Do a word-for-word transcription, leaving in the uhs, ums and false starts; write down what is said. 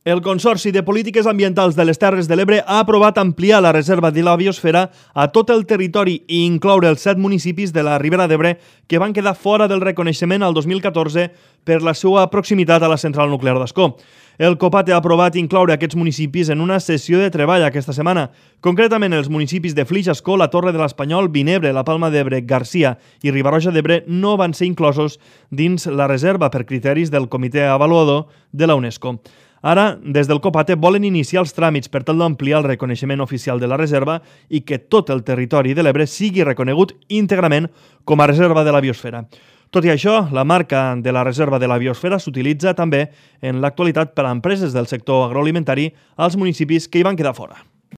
El Consorci de Polítiques Ambientals de les Terres de l'Ebre ha aprovat ampliar la reserva de la biosfera a tot el territori i incloure els set municipis de la Ribera d'Ebre que van quedar fora del reconeixement al dos mil catorze per la seva proximitat a la central nuclear d'Ascó. El COPAT ha aprovat incloure aquests municipis en una sessió de treball aquesta setmana. Concretament, els municipis de Flix, Ascó, la Torre de l'Espanyol, Vinebre, la Palma d'Ebre, Garcia i Riba-roja d'Ebre no van ser inclosos dins la reserva per criteris del comitè avaluador de la UNESCO. Ara, des del COPAT volen iniciar els tràmits per tal d'ampliar el reconeixement oficial de la reserva i que tot el territori de l'Ebre sigui reconegut íntegrament com a reserva de la biosfera. Tot i això, la marca de la reserva de la biosfera s'utilitza també en l'actualitat per a empreses del sector agroalimentari als municipis que hi van quedar fora.